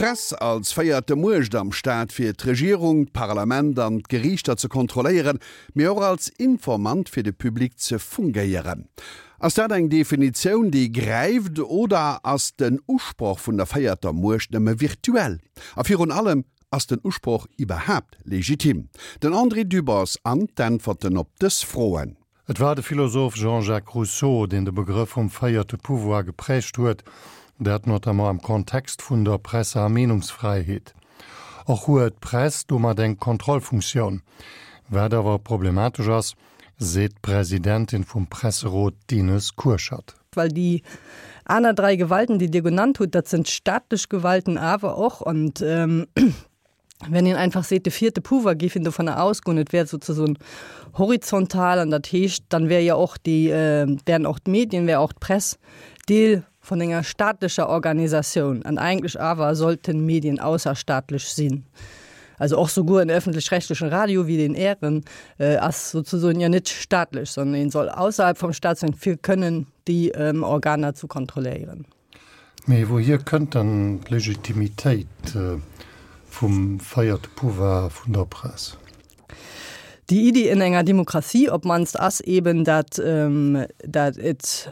D'Press als véierte Muecht am Staat fir d'Regierung, d'Parlament an d'Geriichter ze kontrolléieren, mee och als Informant fir de Public ze fungéieren. Ass dat eng Definitioun, déi gräift oder ass den Usproch vun der véierter Muecht nëmme virtuell? A virun allem, Ass den Usproch iwwerhaapt legitim? Den André Dübbers an d'Äntwerten op dës Froen. Et war de Philosoph Jean-Jacques Rousseau, deen de Begrëff vum véierte Pouvoir geprägt huet, dat notamment am Kontext vun der Presse a Meenungsfräiheet. Och huet d'Press domat eng Kontrollfunktioun. Wat awer problematesch ass, seet d'Presidentin vum Presserot d'Ines Kurschat. Well déi aner 3 Gewalten, déi Dir genannt hutt, dat sënn staatlech Gewalten awer och. Und wenn een einfach seet, de vierte Pouvoir géif een dovunner ausgoen, et wär sozesoen horizontal, an dat heescht, dann wär jo och déi, wären och d'Medien, wär och d'Press Deel vun enger staatlecher Organisatioun. An eigentlech awer sollten Medien ausserstaatlech sinn. Also och souguer en öffentlich-rechtlichen Radio wéi deen Ären ass sozesoen jo net staatlech, sondern een soll ausserhalb vum Staat sinn, fir kënnen déi Organer zu kontrolléieren. Mee wouhier kënnt dann d'Legitimitéit vum véierte Pouvoir vun der Press? Déi Iddi in enger Demokratie op d'mannst ass eben, dat dat et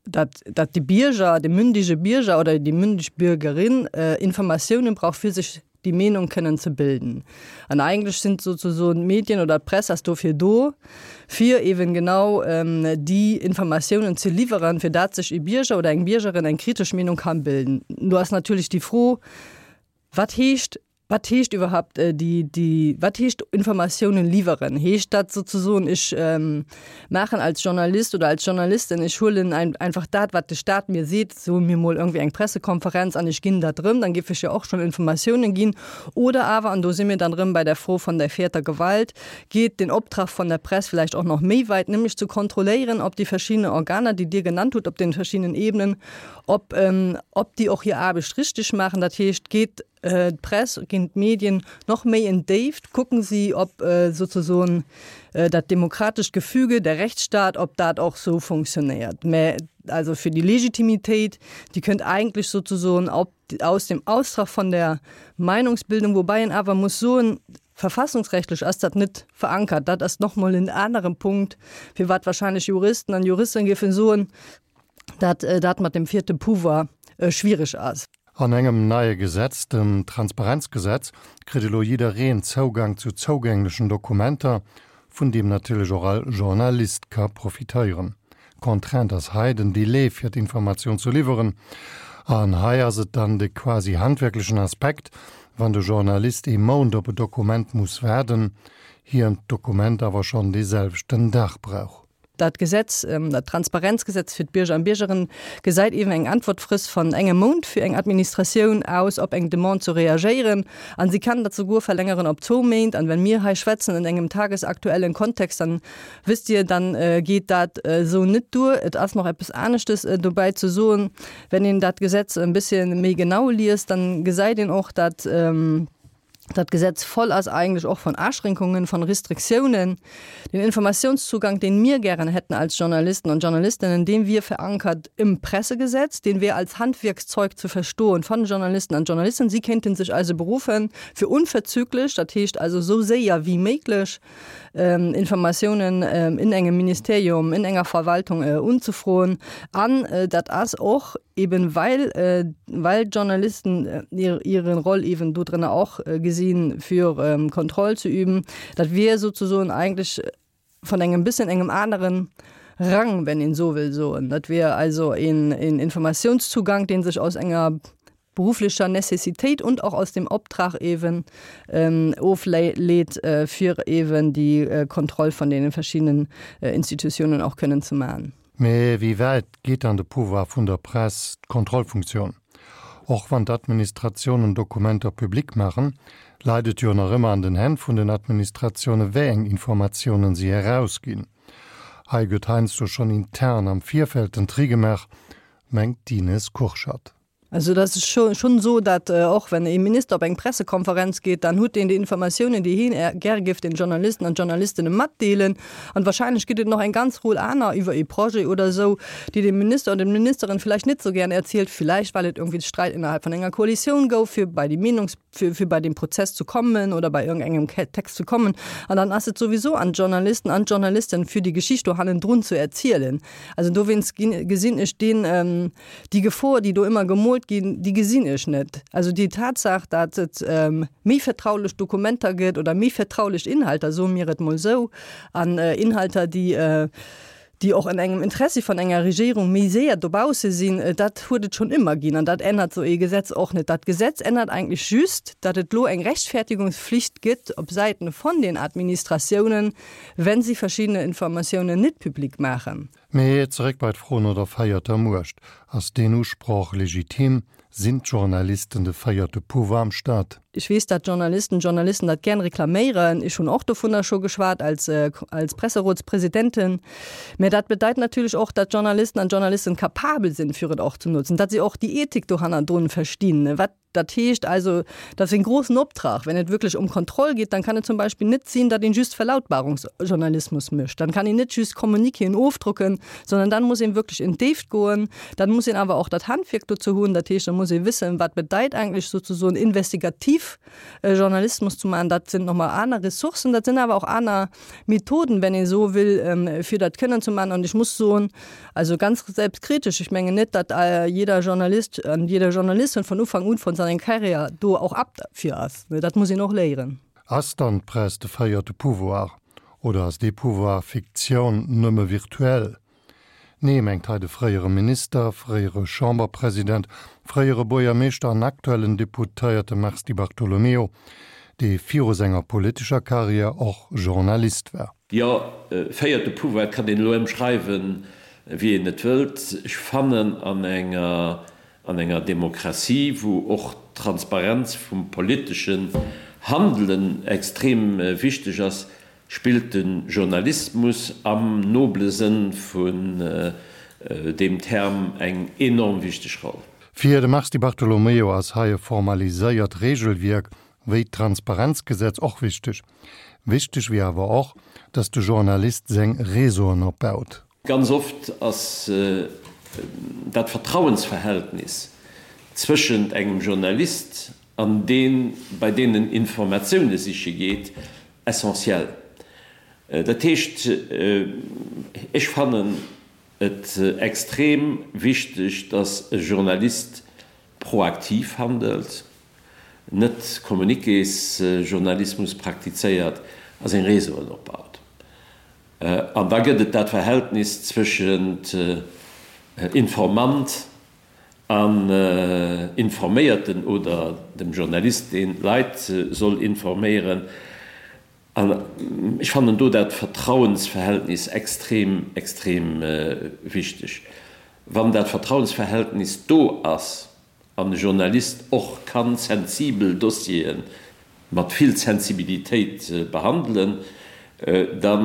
dat dat de Bierger, de mündige Bierger oder déi mündig Bürgerin Informatiounen brauch fir sech déi Meenung kënnen ze bilden. An eigentlech sinn sozesoen d'Medien oder d'Press ass dofir do, fir eben genau déi Informatiounen ze liwweren, fir dat sech e Bierger oder eng Biergerin eng kritesch Meenung kann bilden. Do ass natierlech déi Fro, Wat heescht, wat heescht iwwerhaupt déi, déi, wat heescht Informatiounen liwweren? Heescht dat sozesoen, ech maachen als Journalist oder als Journalistin, ech huelen einfach dat, wat de Staat mir seet, soe mir mol irgendwie eng Pressekonferenz an ech ginn dat erëm, dann géif ech jo och schonn Informatiounen ginn. Oder awer, an do si mir dann erëm bei der Fro von der vierter Gewalt, geet den Optrag von der Press vielleicht och nach méi weit, nämlech ze kontrolléieren, ob déi verschiddene Organer, déi Dir genannt hutt, op den verschiddenen Ebenen, ob, ob déi och hir Aarbecht richteg maachen. Dat heescht, geet d'Press, ginn d'Medien noch méi en d'Déift, kucken si, ob sozesoen dat demokratescht Gefüge, der Rechtsstaat, ob dat och sou funktionéiert. Mä also fir déi Legitimitéit, déi kënnt eigentlech sozesoen op, aus dem Austrag von der Meinungsbildung, woubäi een awer muss soen, verfassungsrechtlech ass dat net verankert. Dat ass nochmol en aneren Punkt, firwat wahrscheinlech Juristen an Juristen géifen soen, dat dat mat dem vierte Pouvoir schwierig ass. An engem neie Gesetz, dem Transparenzgesetz, kritt elo jiddereen Zougang zu zougänglechen Dokumenter, vun deem natierlech och all Journalist ka profitéieren. Contrainte ass hei den Delai fir d'Informatioun ze liwweren. An hei ass et dann de quasi handwierklechen Aspekt, wann de Journalist ee Mount op e Dokument muss waarden, hien d'Dokument awer schonn dee selwechten Dag brauch. Dat Gesetz, dat Transparenzgesetz fir d'Bierger an Biergerinnen, gesäit eeben eng Äntwertfrist van engem Mount fir eng Administratioun aus, op eng Demande ze reagéieren. An si kann dat souguer verlängeren op zwou Méint. An wenn mir hei schwätzen an engem tagesaktuellen Kontext, dann wësst Dir, dann geet dat esou net duer. Et ass nach eppes aneschtes dobäi ze soen. Wenn een dat Gesetz e bësschen méi genau liest, dann gesäit een och, dat, Dat Gesetz voll ass eigentlech och von Aschränkungen, von Restriktiounen. Den Informationszugang, den mir gären hätten als Journalisten und Journalistinnen, deen wier verankert im Pressegesetz, deen wier als Handwierkszeug zu verstoen von Journalisten an Journalisten. Si kéinten sech also beruffen, fir unverzüglich, dat heescht also esou séier wéi méiglech, Informatiounen in engem Ministerium, in enger Verwaltung unzefroen. An dat ass och eben well, well d'Journalisten hire Roll eben do drënner och gesinn, fir Kontroll ze üben. Dat wier souzesoen eigentlech vun engem bëssen engem aneren Rang, wenn een esou wëll soen. Dat wier also een Informatiounszugank, dee sech aus enger beruflicher Necessitéit und auch aus dem Optrag eben ofleet, fir eben déi Kontroll von deene verschiedenen Institutionen och kënnen ze maachen. Mee wéi wäit geet dann de Pouvoir vun der Press, d'Kontrollfunktioun? Och wann d'Administratiounen Dokumenter public maachen, leit et jo nach ëmmer an den Hänn vun den Administratiounen, wéi eng Informatiounen si erausginn. Hei gëtt heiansdo schonn intern am Virfeld den Tri gemaach, mengt d'Ines Kurschat. Also dat ass schonn esou, datt och wenn ee Minister op eng Pressekonferenz geet, dann huet deen déi Informatiounen, déi hien gär géif den Journalisten an Journalistinnen matdeelen. An wahrscheinlech gëtt et nach eng ganz Rull aner iwwer ee Projet oder esou, déi de Minister oder d'Ministerin vläicht net esou gär erzielt, vläicht well et irgendwie Sträit innerhalb vun enger Koalitioun gouf, fir bei déi Meenungs-, fir, fir bei den Prozess zu kommen oder bei irgendengem Text zu kommen. An dann ass et sowieso an d'Journalisten an d'Journalisten, fir déi Geschicht do hannendrun zu erzielen. Also dowéinst ginn, gesinn ech deen, ähm, déi Gefor, déi do ëmmer gemoolt ginn, déi gesinn ech net. Also déi Tatsaach, datt et ähm, méi vertraulech Dokumenter gëtt oder méi vertraulech Inhalter, soe mir et mol esou, an äh, Inhalter, déi äh, déi och an engem Interessi van enger Regierung méi séier dobausse sinn, dat huet et schonn ëmmer ginn an dat ännert esou ee Gesetz och net. Dat Gesetz ännert eigentlech just, datt et elo eng Rechtfertigungspflicht gëtt op Säiten von den Administratiounen, wenn si verschiddene Informatiounen net public maachen. Mee zeréck bei d'Fro no der véierter Muecht, Ass deen Usproch legitim? Sinn d'Journalisten de véierte Pouvoir am Staat? Ech weess, dat Journalisten, Journalisten dat gären reklaméieren. Ech hunn och dovunner scho geschwat als, als Presserotspräsidentin. Mä dat bedeit natierlech och, dat Journalisten an Journalisten capabel sinn, fir et och ze nutzen, dat si och déi Ethik do hannerdrun verstinn. Wat dat heescht also, dat ass en großen Optrag. Wenn et wierklech ëm Kontroll geet, dann kann et zum Beispill net sinn, datt een just Verlautbarungsjournalismus mécht. Dann kann een net just Communiquéen ofdrucken, sondern dann muss een wierklech in d'Déift goen. Dann muss een awer och dat Handwierk dozou hunn. Dat heescht, da muss ee wëssen, wat bedeit eigentlech sozesoen investigativ Journalismus zu maachen. Dat sinn nochmol aner Ressourcen, dat sinn awer och aner Methoden, wenn ee sou will, fir dat kënnen ze maachen. An ech muss soen, also ganz selbstkritisch, ech mengen net, datt jeder Journalist an jede Journalistin von Ufank un von seiner Karriär do och apt fir ass. Dat muss een och léieren. Ass dann d'Press de véierte Pouvoir oder ass dee Pouvoir Fiktioun, nëmme virtuell? Nee, mengt hei de fréiere Minister, fréiere Chamberpresident, fréiere Buergermeeschter an aktuellen Deputéierte Mars Di Bartolomeo, dee viru senger politescher Karriär och Journalist war. Jo, véierte Pouvoir kann een elo ëmschreiwen, wéi een et wëllt. Ech fannen, an enger, an enger Demokratie, wou och d'Transparenz vum politeschen Handelen extrem wichteg ass, Spillt de Journalismus am noble Sënn vun deem Term eng enorm wichteg Roll. Fir de Mars Di Bartolomeo ass hei e formaliséiert Regelwierk wéi d'Transparenzgesetz och wichteg. Wichteg wier awer och, datt de Journalist seng Réseauen opbaut. Ganz oft ass dat Vertrauensverhältnis zwëschent engem Journalist an deen, bei deen en Informatioune siche geet, essentiell. Dat heescht, ech fannen et extrem wichteg, dass e Journalist proaktiv handelt, net Communiquésjournalismus praktizéiert a seng Réseauen opbaut. An da gëtt et dat Verhältnis zwëschent Informant an Informéierten oder dem Journalist, deen d'Leit soll informéieren. An ech fannen do dat Vertrauensverhältnis extrem, extrem wichteg. Wann dat Vertrauensverhältnis do ass an e Journalist och kann sensibel Dossiere mat vill Sensibilitéit behandelen, da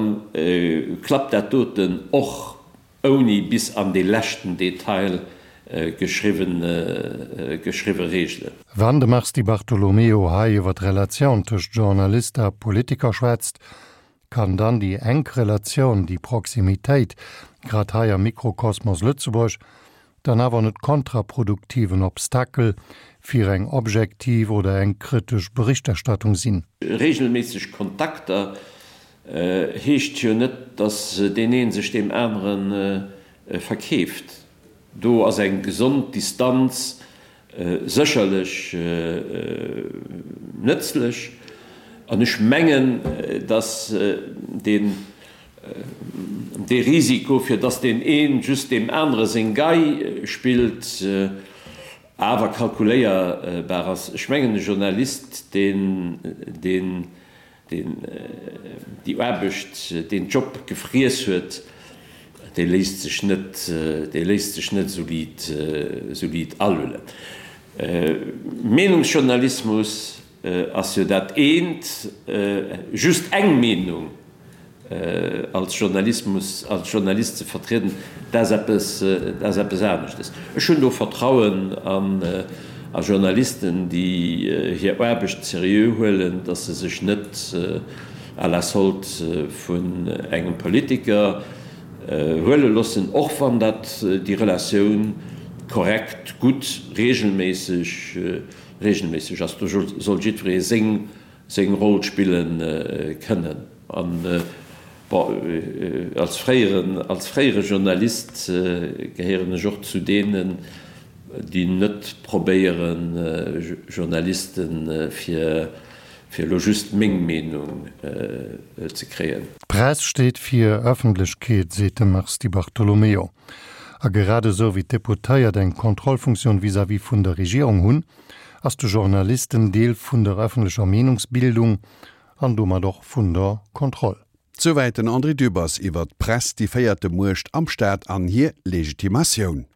klappt dat doten och Ouni bis an dee leschten Detail geschriwwe Reegelen. Wann de Mars Di Bartolomeo hei iwwer d'Relatioun tëscht Journalist a Politiker schwätzt, kann dann déi enk Relatioun, déi Proximitéit, grad hei am Mikrokosmos Lëtzebuerg, dann awer net kontraproduktiven Obstakel fir eng objektiv oder eng kritesch Berichterstattung sinn? Regelméisseg Kontakter Heescht jo net, datt deen een sech deem anere verkeeft. Do ass eng gesond Distanz sécherlech nëtzlech. An ech mengen, datt deen dee Risiko, fir datt deen een just deem anere seng Gei spillt, awer kalkuléierbar ass. Ech mengen, e Journalist, deen deen Deen déi Aarbecht, deen Job gefriess huet, dee léisst sech net, dee léisst sech net esou liit, esou liit alullen. Meenungsjournalismus ass jo dat eent, just eng Meenung. Als Journalismus, als Journalist ze vertrieden, dat ass eppes, dat ass eppes aneschtes. Ech hunn do Vertrauen an a Journalisten, déi hir Aarbecht seriö huelen, datt se sech net à la solde vun engem Politiker huele loossen, och wann dat déi Relatioun korrekt, gutt, regelméisseg, regelméisseg ass. Do soll jiddweree seng seng Roll spille kënnen. An, bon, als fréieren, als fréiere Journalist gehéieren ech och zu deenen, déi net probéieren, Journalisten, fir, fir elo just meng Meenung ze kréien. D'Press steet fir Ëffentlechkeet, seet de Mars Di Bartolomeo. A grad esou wéi d'Deputéiert eng Kontrollfunktioun vis-à-vis vun der Regierung hunn, ass de Journalist en Deel vun der ëffentlecher Meenungsbildung an domat och vun der Kontroll. Souwäit den André Dübbers iwwert d'Press, déi véierte Muecht am Staat an hir Legitimatioun.